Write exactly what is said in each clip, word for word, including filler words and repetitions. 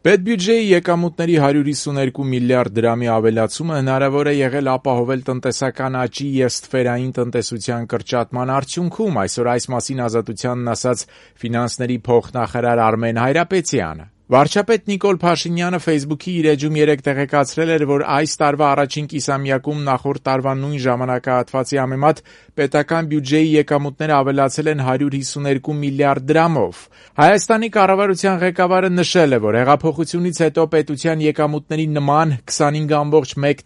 Պետբյուջեի եկամուտների հարյուր հիսուներկու միլիարդ դրամի ավելացումը հնարավոր է եղել ապահովել տնտեսական աճի և ստվերային տնտեսության կրճատման արդյունքում, այսօր այս մասին Ազատությանն ասաց ֆինանսների փոխնախարար Արմեն Հայրապետյանը։ Վարչապետ Նիկոլ Փաշինյանը ֆեյսբուքի իր էջում երեկ տեղեկացրել էր, որ այս տարվա առաջին կիսամյակում նախորդ տարվա նույն ժամանակահատվածի համեմատ պետական բյուջեի եկամուտները ավելացել են հարյուր հիսուներկու միլիարդ դրամով։ Հայաստանի կառավարության ղեկավարը նշել է, որ հեղափոխությունից հետո պետության եկամուտների նման քսանհինգ կόμma մեկ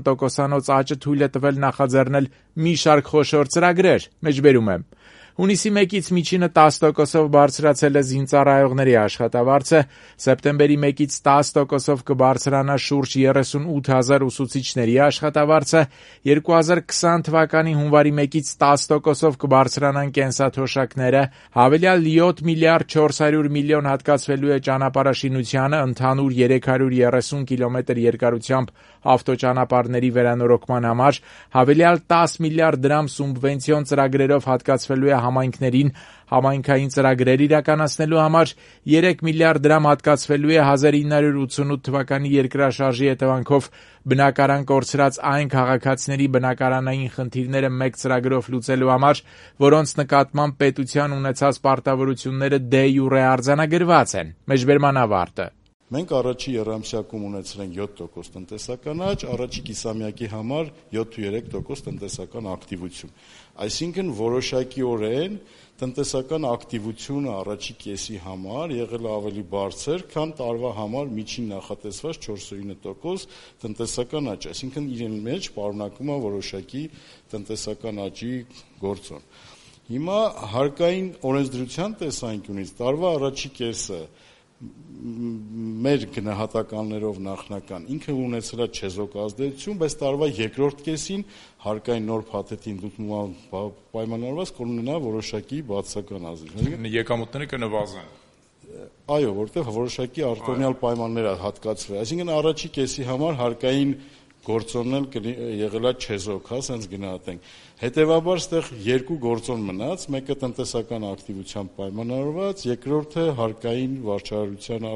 տոկոսանոց աճը թույլ է տվել նախաձեռնել մի շարք խոշոր ծրագրեր։ Մեջբերում եմ. Հունիսի մեկից միջինը տասը տոկոսով բարձրացել է զինծառայողների աշխատավարձը, սեպտեմբերի մեկից տասը տոկոսով կբարձրանա շուրջ երեսունութ հազար ուսուցիչների աշխատավարձը, երկու հազար քսան թվականի հունվարի մեկից տասը տոկոսով կբարձրանան կենսաթոշակները, հավելյալ յոթ միլիարդ չորս հարյուր միլիոն հատկացվելու է ճանապարհաշինությանը, ընդհանուր երեք հարյուր երեսուն կիլոմետր երկարությամբ ավտոճանապարհների վերանորոգման համար, հավելյալ տասը միլիարդ դրամ սուբվենցիոն ծրագրերով հատկացվելու է համայնքներին համայնքային ծրագրեր իրականացնելու համար, երեք միլիարդ դրամ հատկացվելու է հազար ինը հարյուր ութսունութ թվականի երկրաշարժի հետևանքով բնակարան կորցրած այն քաղաքացիների բնակարանային խնդիրները մեկ ծրագրով լուծելու համար, որոնց նկատմամբ պետության ունեցած պարտավորությունները դե յուրե արձանագրված են։ Մեջբերման ավարտը։ Մենք առաջի եռամսյակում ունեցել ենք յոթ տոկոս տնտեսական աճ, առաջի կիսամյակի համար յոթ ու երեք տոկոս տնտեսական ակտիվություն։ Այսինքն որոշակիորեն տնտեսական ակտիվությունը առաջի կեսի համար եղել է ավելի բարձր, քան տարվա համար միջին նախատեսված չորսունինը տոկոս տնտեսական աճ, այսինքն իրեն մեջ պարունակում է որոշակի տնտեսական աճի գործոն։ Հիմա հարկային օրենսդրության տեսանկյունից տարվա առաջի կեսը մեր գնահատականներով նախնական ինքը ունեցել է չեզոք ազդեցություն, բայց տարվա երկրորդ կեսին հարկային նոր փաթեթին դուտման պայմանավորված կունենա որոշակի բացասական ազդեցություն։ Եկամուտները կնվազեն։ Այո, որտեղ որոշակի արտոնյալ պայմաններ հատկացվել։ Այսինքն առաջի կեսի համար հարկային գործոնն եղել է չեզոք, հա, ասենց գնահատենք։ Հետևաբար ստեղ երկու գործոն մնաց, մեկը տնտեսական ակտիվությամբ պայմանավորված, երկրորդը հարկային վարչարարության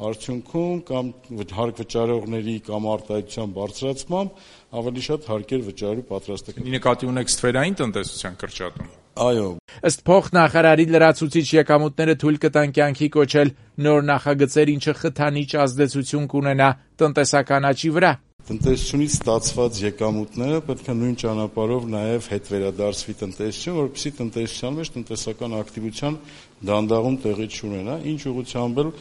արդյունքում կամ հարկ վճարողների կամ արտահայտության բարձրացմամբ ավելի շատ հարկեր վճարելու պատրաստական։ Նկատի ունեք ստվերային տնտեսության կրճատում։ Այո։ Ըստ փոխնախարարի լրացուցիչ եկամուտները թույլ կտան կյանքի կոչել նոր նախագծեր, ինչը խթանիչ ազդեցություն կունենա տնտեսական աճի վրա։ Տնտեսությունից ստացված եկամուտները պետք է նույն ճանապարհով նաև հետ վերադարձվի տնտեսություն, որպեսզի տնտեսության մեջ տնտեսական ակտիվության դանդաղում տեղի չունենա, ինչ ուղղությամբ էլ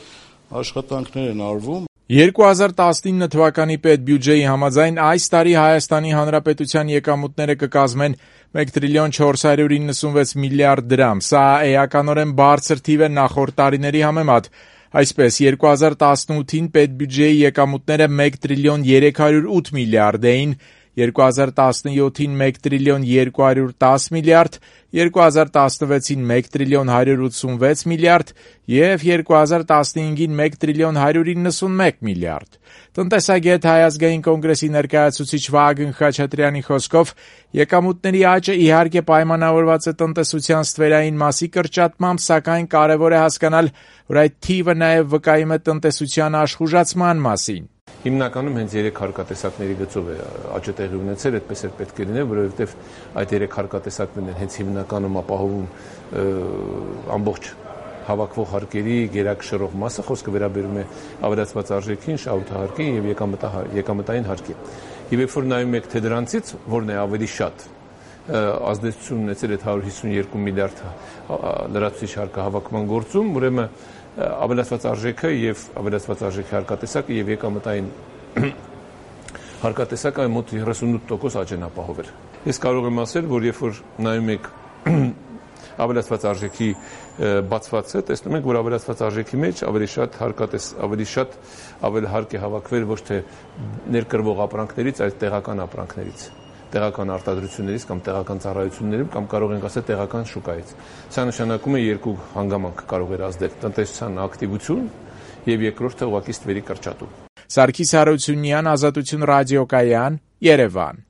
աշխատանքներ են արվում։ երկու հազար տասնինը թվականի պետբյուջեի համաձայն այս տարի Հայաստանի Հանրապետության եկամուտները կկազմեն մեկ տրիլիոն չորս հարյուր իննսունվեց միլիարդ դրամ։ Սա էականորեն բարձր թիվ է նախորդ տարիների համեմատ։ Այսպես, երկու հազար տասնութին պետբյուջեի եկամուտները մեկ տրիլիոն երեք հարյուր ութ միլիարդ էին, երկու հազար տասնյոթին մեկ տրիլիոն երկու հարյուր տասը միլիարդ, երկու հազար տասնվեցին մեկ տրիլիոն հարյուր ութսունվեց միլիարդ և երկու հազար տասնհինգին մեկ տրիլիոն հարյուր իննսունմեկ միլիարդ։ Տնտեսագետ Հայ ազգային կոնգրեսի ներկայացուցիչ Վահագն Խաչատրյանի խոսքով եկամուտների աճը իհարկե պայմանավորված է տնտեսության ստվերային մասի կրճատմամբ, սակայն կարևոր է հասկանալ, որ այդ թիվը նաև վկայում է տնտեսության աշխուժացման մասին։ Հիմնականում հենց երեք հարկատեսակների գծով է աճը տեղի ունեցել, այդպես էլ պետք է լինի, որովհետև այդ երեք հարկատեսակներն են հենց հիմնականում ապահովում ամբողջ հավաքվող հարկերի գերակշռող մասը, խոսքը վերաբերում է ավելացված արժեքին, շահութահարկին եւ եկամտային հարկին։ Եվ երբ որ նայում եք թե դրանցից որն է ավելի շատ ազդեցություն ունեցել այդ հարյուր հիսունյոթ միլիարդ լրացուցիչ հարկահավաքման գործում, ուրեմն ավելացված արժեքը եւ ավելացված արժեքի հարկատեսակը եւ եկամտային հարկատեսակը մոտ երեսունութ տոկոս աճ են ապահովել։ Ես կարող եմ ասել, որ երբ որ նայում եք ավելացված արժեքի բացվածը, տեսնում ենք, որ ավելացված արժեքի մեջ ավելի շատ հարկատես, ավելի շատ ավելի հարկ է հավաքվել ոչ թե ներկրվող ապրանքներից, այլ տեղական ապրանքներից, տեղական արտադրություններից կամ տեղական ծառայություններից կամ կարող ենք ասել տեղական շուկայից։ Սա նշանակում է երկու հանգամանք կարող է ազդել՝ տնտեսության ակտիվություն եւ երկրորդը ուղղակի ստվերի կրճատում։ Սարգիս Հարությունյան, Ազատություն ռադիոկայան, Երևան։